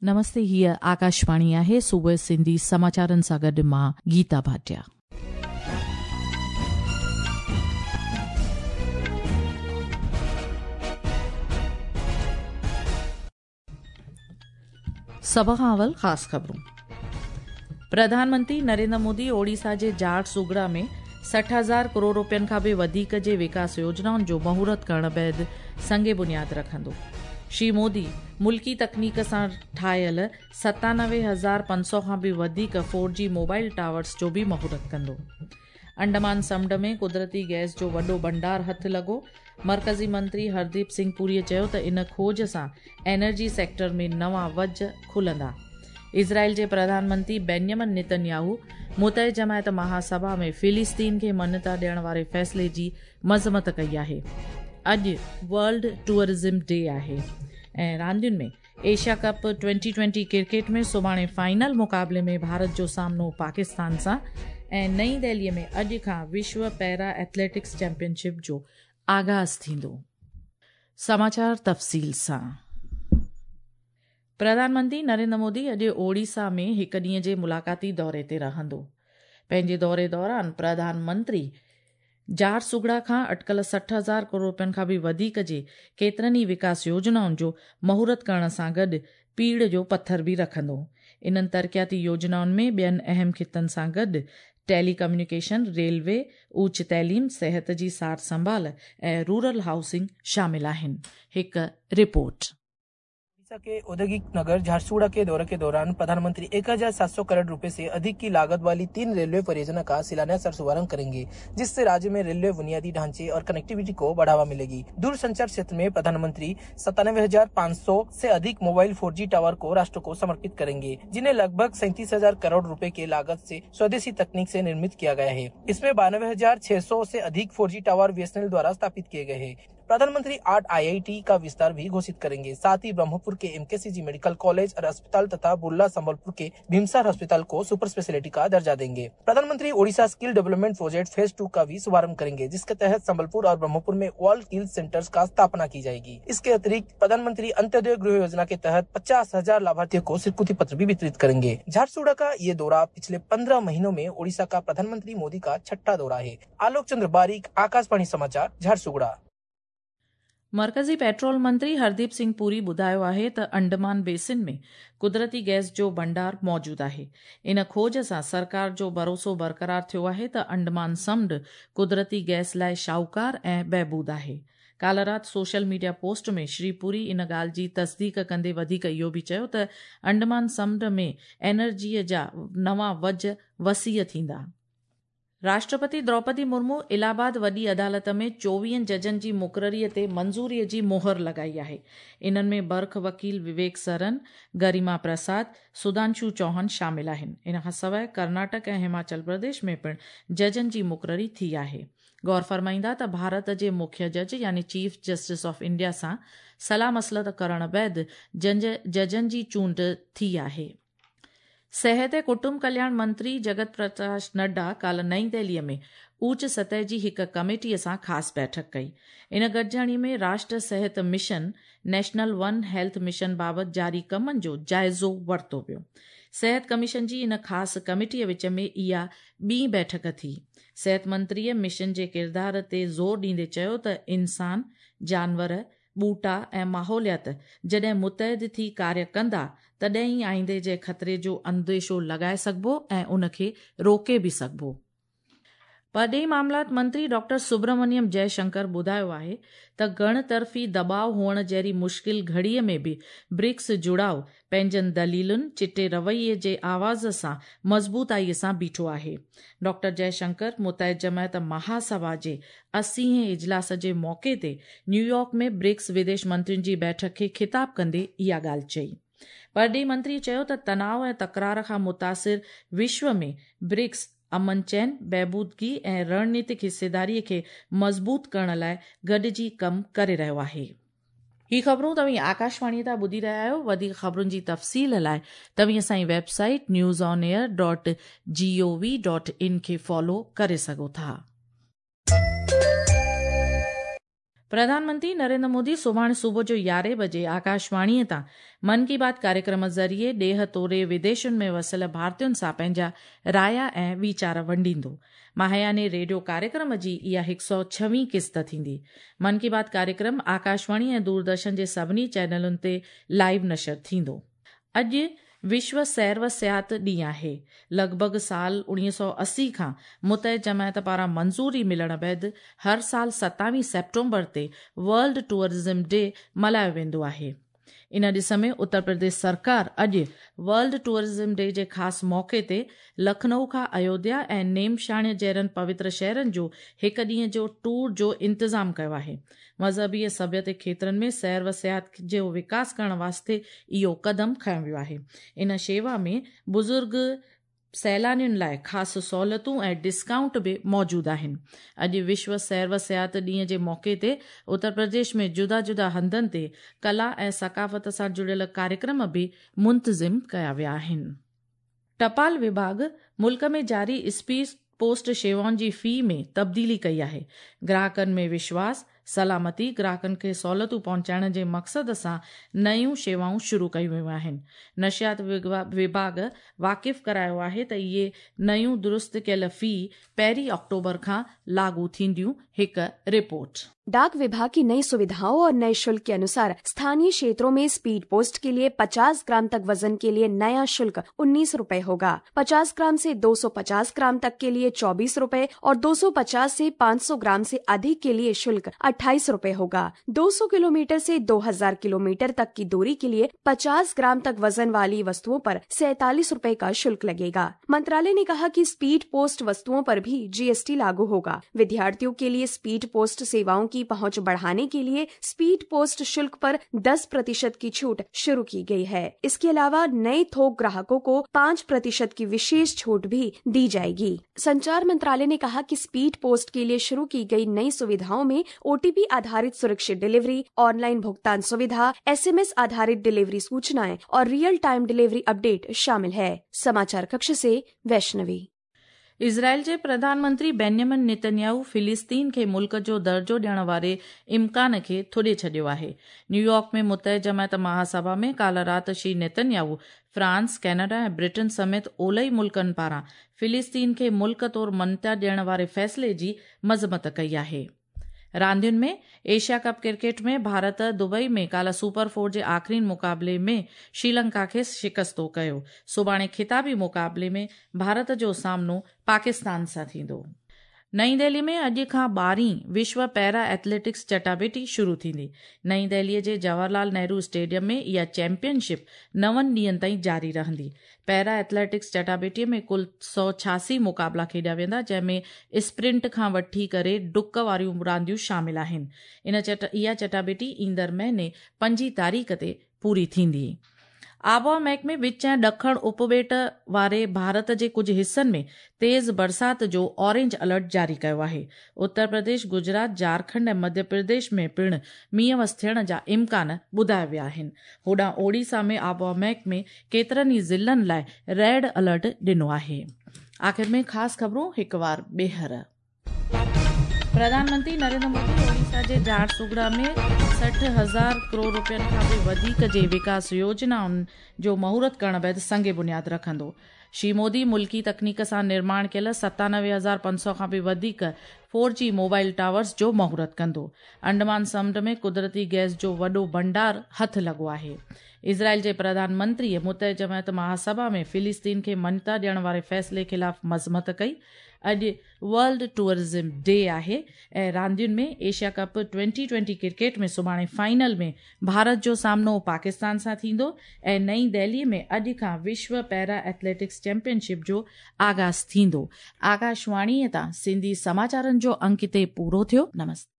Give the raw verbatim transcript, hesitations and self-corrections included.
नमस्ते, हीअ आकाशवाणी आहे। सुबुह सिंधी समाचारनि सां गॾु मां गीता भाटिया। सभ खां अवल ख़ासि ख़बरूं। प्रधानमंत्री नरेंद्र मोदी ओडिशा जे झारसुगड़ा में सठि हज़ार करोड़ रुपयनि खां बि वधीक जे विकास योजनाउनि जो मुहूर्त करण बाद संग बुनियाद रखंदो। श्री मोदी मुल्की तकनीक सां ठाहियल सतानवे हज़ार पंज सौ खां बि वधीक फोर जी मोबाइल टावर्स जो बि मुहूर्त कंदो। अंडमान समुंड में कुदरती गैस जो वॾो भंडार हथु लॻो। मर्कज़ी मंत्री हरदीप सिंह पुरीअ चयो त इन खोज सां एनर्जी सेक्टर में नवां वज खुलंदा। इज़राइल जे प्रधानमंत्री बेंजामिन नेतन्याहू मुतह जमायत महासभा में फ़िलिस्तीन खे मान्यता ॾियण वारे फ़ैसिले जी मज़मत कई आहे। अॼु वर्ल्ड टूरिज़म डे आहे। ऐं रांदियुनि में Asia cup twenty twenty cricket में सुभाणे फाइनल मुक़ाबले में भारत जो सामनो पाकिस्तान सां। ऐं नई दिल्लीअ में अॼु खां विश्व पैरा एथलेटिक्स चैंपियनशिप जो आगाज़ थींदो। समाचार तफ़सील सां। प्रधानमंत्री नरेंद्र मोदी अॼु ओडिशा में हिकु ॾींहं जे मुलाक़ाती दौरे ते रहंदो। पंहिंजे दौरे दौरान प्रधानमंत्री झारसुगड़ा खां अटकल सठि हज़ार करोड़ रुपयनि खां बि वधीक जे केतिरनि ई विकास योजनाउनि जो मुहूर्त करण सां गॾु पीड़ जो पथर बि रखंदो। इन्हनि तरक़ियाती योजनाउनि में ॿियनि अहम ख़ितनि सां गॾु टेली कम्यूनिकेशन, रेलवे, उच्च तइलीम, सिहत जी सार संभाल ऐं रूरल हाउसिंग शामिल आहिनि। हिकु रिपोर्ट। ओडिशा के औद्योगिक नगर झारसुगुड़ा के दौरे के दौरान प्रधानमंत्री एक हजार सात सौ करोड़ रुपए से अधिक की लागत वाली तीन रेलवे परियोजना का शिलान्यास और शुभारंभ करेंगे, जिससे राज्य में रेलवे बुनियादी ढांचे और कनेक्टिविटी को बढ़ावा मिलेगी। दूरसंचार क्षेत्र में प्रधानमंत्री सत्तानवे हजार पाँच सौ से अधिक मोबाइल फोर जी टावर को राष्ट्र को समर्पित करेंगे, जिन्हें लगभग सैंतीस हजार करोड़ रुपए के लागत से स्वदेशी तकनीक से निर्मित किया गया है। इसमें बानवे हजार छह सौ से अधिक four G tower B S N L द्वारा स्थापित किए गए हैं। प्रधानमंत्री आठ आई I T का विस्तार भी घोषित करेंगे। साथ ही ब्रह्मपुर के M K C G medical college और अस्पताल तथा बुर्ला संबलपुर के भीमसार अस्पताल को सुपर स्पेशलिटी का दर्जा देंगे। प्रधानमंत्री Odisha skill development project phase two का भी शुभारंभ करेंगे, जिसके तहत संबलपुर और ब्रह्मपुर में वर्ल्ड स्किल सेंटर्स का स्थापना की जाएगी। इसके अतिरिक्त प्रधानमंत्री अंत्योदय गृह योजना के तहत पचास हजार लाभार्थियों को स्वीकृति पत्र भी वितरित करेंगे। झारसुगुड़ा का ये दौरा पिछले पंद्रह महीनों में ओडिशा का प्रधानमंत्री मोदी का छठा दौरा है। आलोक चंद्र बारीक, आकाशवाणी समाचार, झारसुगुड़ा। मर्कज़ी पेट्रोल मंत्री हरदीप सिंह पुरी ॿुधायो आहे त अंडमान बेसिन में कुदरती गैस जो भंडार मौजूदु आहे। इन खोज सां सरकार जो भरोसो बरक़रार थियो आहे त अंडमान समुंड कुदरती गैस लाइ शाहूकार ऐं बहबूद आहे। काल्ह राति सोशल मीडिया पोस्ट में श्री पुरी इन ॻाल्हि जी तस्दीक कंदे वधीक इहो बि चयो त अंडमान समुंड में एनर्जीअ जा नवां वज वसीअ थींदा। राष्ट्रपति द्रौपदी मुर्मू इलाहाबाद वॾी अदालत में चोवीहनि जजनि जी मुक़ररीअ ते मंज़ूरीअ जी मोहर लॻाई आहे। इन्हनि में बर्ख वकील विवेक सरन, गरिमा प्रसाद, सुधांशु चौहान शामिल आहिनि। इन खां सवाइ कर्नाटक ऐं हिमाचल प्रदेश में पिणु जजनि जी मुक़ररी थी आहे। गौर फरमाईंदा त भारत जे मुख्य जज यानी चीफ जस्टिस ऑफ इंडिया सां सलाह मसलत करण बाद जजनि जी चूंड थी आहे। सिहत ऐं कुटुंब कल्याण मंत्री जगत प्रकाश नड्डा काल्ह नई दिल्लीअ में ऊच सतह जी हिकु कमेटीअ सां ख़ासि बैठक कई। इन गॾिजाणी में राष्ट्र सिहत mission, national one health mission बाबति जारी कमनि जो जाइज़ो वरितो वियो। सिहत कमीशन जी इन ख़ासि कमेटीअ विच में इहा ॿी बैठक थी। सिहत मंत्रीअ मिशन जे किरदार ते ज़ोर ॾींदे चयो त इंसान, जानवर, ॿूटा ऐं माहौलियात जॾहिं मुतहद थी कार्य कंदा तॾहिं ई आईंदे जे ख़तरे जो अंदेशो लॻाए सघिबो ऐं उनखे रोके बि सघिबो। परॾेही मामलात मंत्री डॉक्टर सुब्रमण्यम जयशंकर ॿुधायो आहे त गण तरफ़ी दॿाव हुअण जहिड़ी मुश्किल घड़ीअ में बि ब्रिक्स जुड़ाव पंहिंजनि दलीलुनि, चिटे रवैये जे आवाज़ सां मज़बूताईअ सां बीठो आहे। डॉक्टर जयशंकर मुतहद जमायत महासभा जे अस्सीहें इजलास जे मौक़े ते न्यूयॉर्क में ब्रिक्स विदेश मंत्रियुनि जी बैठक खे ख़िताब कंदे इहा ॻाल्हि चई। परॾेही मंत्री चयो त तनाव ऐं तकरार खां मुतासिर विश्व में ब्रिक्स अमन चैन, बहबूदगी ऐं रणनीतिक हिस्सेदारीअ खे मज़बूत करण लाइ गॾिजी कमु करे रहियो आहे। ही ख़बरूं तव्हीं आकाशवाणी तां ॿुधी रहिया आहियो। वधीक ख़बरुनि जी तफ़सील लाइ तव्हीं असांजी website news on air dot G O V dot in खे फॉलो करे सघो था। प्रधानमंत्री नरेंद्र मोदी सुभाणे सुबुह जो यारहं बजे आकाशवाणीअ तां मन की बात कार्यक्रम ज़रिए ॾेह तोड़े विदेशुनि में वसियल भारतीयुनि सां पंहिंजा राया ऐं वीचार वंडींदो। माहियाने रेडियो कार्यक्रम जी इहा हिकु सौ छवीं क़िस्त थींदी। मन की बात कार्यक्रम आकाशवाणी ऐं दूरदर्शन जे सभिनी चैनलुनि ते लाइव नशर थींदो। अॼु विश्व सैर व सियाहत ॾींहुं आहे। लॻभॻि साल उणिवीह सौ असी खां मुतहद जमायत पारां मंज़ूरी मिलण बाद हर साल सतावीह सेप्टेम्बर ते वर्ल्ड टूरिज़म डे मल्हायो वेंदो आहे। इन ॾिस में उत्तर प्रदेश सरकार अॼु वर्ल्ड टूरिज़म डे जे ख़ासि मौक़े ते लखनऊ खां अयोध्या ऐं नेमशाण्य जहिड़नि पवित्र शहरनि जो हिकु ॾींहं जो टूर जो इंतज़ामु कयो आहे। मज़हबी ऐं सभ्यते खेत्रनि में सैर व सियाहत जो विकास करण वास्ते इहो क़दम खयो वियो आहे। इन शेवा में बुज़ुर्ग सैलानियुनि लाइ ख़ासि सहूलियतूं ऐं डिस्काउंट बि मौजूदु आहिनि। अॼु विश्व सैर व सियाहत ॾींहं जे मौक़े ते उत्तर प्रदेश में जुदा जुदा हंधनि ते कला ऐं सकाफ़त सां जुड़ियल कार्यक्रम बि मुंतज़िम कया विया आहिनि। टपाल विभाग मुल्क में जारी स्पीड पोस्ट शेवाउनि जी फी में तब्दीली कई आहे। ग्राहकनि में विश्वास, सलामती, ग्राहकनि खे सहूलियतूं पहुचाइण जे मक़सद सां नयूं शेवाऊं शुरू कयूं वियूं आहिनि। नशियात विभाग वाक़िफ़ करायो आहे त इहे नयूं दुरुस्त कयल फी पहिरीं अक्टूबर खां लागू थींदियूं। हिकु रिपोर्ट। डाक विभाग की नई सुविधाओं और नए शुल्क के अनुसार स्थानीय क्षेत्रों में स्पीड पोस्ट के लिए पचास ग्राम तक वजन के लिए नया शुल्क उन्नीस रूपए होगा। पचास ग्राम से दो सौ पचास ग्राम तक के लिए चौबीस रूपए और दो सौ पचास से पाँच सौ ग्राम से अधिक के लिए शुल्क अट्ठाईस रूपए होगा। दो सौ किलोमीटर से दो हजार किलोमीटर तक की दूरी के लिए पचास ग्राम तक वजन वाली वस्तुओं पर सैतालीस रूपए का शुल्क लगेगा। मंत्रालय ने कहा कि स्पीड पोस्ट वस्तुओं पर भी जीएसटी लागू होगा। विद्यार्थियों के लिए स्पीड पोस्ट सेवाओं की पहुंच बढ़ाने के लिए स्पीड पोस्ट शुल्क पर दस प्रतिशत की छूट शुरू की गई है। इसके अलावा नए थोक ग्राहकों को पाँच प्रतिशत की विशेष छूट भी दी जाएगी। संचार मंत्रालय ने कहा कि स्पीड पोस्ट के लिए शुरू की गई नई सुविधाओं में ओटीपी आधारित सुरक्षित डिलीवरी, ऑनलाइन भुगतान सुविधा, एसएमएस आधारित डिलीवरी सूचनाएं और रियल टाइम डिलीवरी अपडेट शामिल है। समाचार कक्ष से वैष्णवी। इज़राइल जे प्रधानमंत्री बेन्यामिन नेतन्याहू फिलिस्तीन खे मुल्क जो दर्जो ॾियण वारे इम्कान खे थुॾे छॾियो आहे। न्यूयॉर्क में मुतहद जमायत महासभा में काल्ह राति श्री नेतन्याहू फ्रांस, कनाडा ऐं ब्रिटेन समेत ओलई मुल्कनि पारां फिलिस्तीन खे मुल्क तौर मान्यता ॾियण वारे फ़ैसिले जी मज़मत कई आहे। रांदियुनि में Asia cup cricket में भारत दुबई में काल्ह सुपर फोर जे आख़िरी मुक़ाबले में श्रीलंका खे शिकस्तो कयो। सुभाणे ख़िताबी मुक़ाबले में भारत जो सामनो पाकिस्तान सां थींदो। नई दिल्ली में अॼु खां ॿारहीं विश्व पैरा एथलेटिक्स चटाबेटी शुरू थींदी। नई दिल्लीअ जे जवाहरलाल नेहरू स्टेडियम में इहा चैंपियनशिप नवनि ॾींहंनि ताईं जारी रहंदी। पैरा एथलेटिक्स चटाबेटीअ में कुल सौ छासी मुक़ाबला खेॾिया वेंदा, जंहिंमें स्प्रिंट खां वठी करे डुक वारियूं रांदियूं शामिल आहिनि। इन चट इहा चटाबेटी ईंदड़ महीने पंजी तारीख़ ते पूरी थींदी। आबहावा महकमे विच ऐं ॾखण उपॿेट वारे भारत जे कुझु हिसनि में तेज़ बरसात जो ऑरेंज अलर्ट जारी कयो आहे। उत्तर प्रदेश, गुजरात, झारखंड ऐं मध्य प्रदेश में पिणु मींहुं वस थियण जा इम्कान ॿुधाया विया आहिनि। होॾां ओडिशा में आबहावा महकमे केतिरनि ई ज़िलनि लाइ रेड अलर्ट ॾिनो आहे। आख़िर में ख़ासि ख़बरूं हिकु वार ॿीहर। प्रधानमंत्री नरेंद्र मोदी ओडिशा जे झारसुगुड़ा में सठि हज़ार करोड़ रुपयनि खां बि वधीक जे विकास योजनाउनि जो मुहूर्त करण बाद संग बुनियाद रखंदो। श्री मोदी मुल्की तकनीक सां निर्माण कयल सतानवे हज़ार पंज सौ खां बि वधीक फोर जी मोबाइल टावर्स जो मुहूर्त कंदो। अंडमान समुंड में कुदरती गैस जो वॾो भंडार हथु लॻो आहे। इज़राइल जे प्रधानमंत्रीअ मुतहद जमायत महासभा में फिलिस्तीन खे मान्यता ॾियण वारे फ़ैसिले ख़िलाफ़ मज़मत कई। अॼु वर्ल्ड टूरिज़म डे आहे ऐं रांदियुनि में Asia cup twenty twenty cricket में सुभाणे फाइनल में भारत जो सामनो पाकिस्तान सां थींदो ऐं नई दिल्ली में अॼु खां विश्व पैरा एथलेटिक्स चैंपियनशिप जो आगाज़ थींदो। आकाशवाणीअ तां सिंधी समाचारनि जो अंक हिते पूरो थियो। नमस्ते।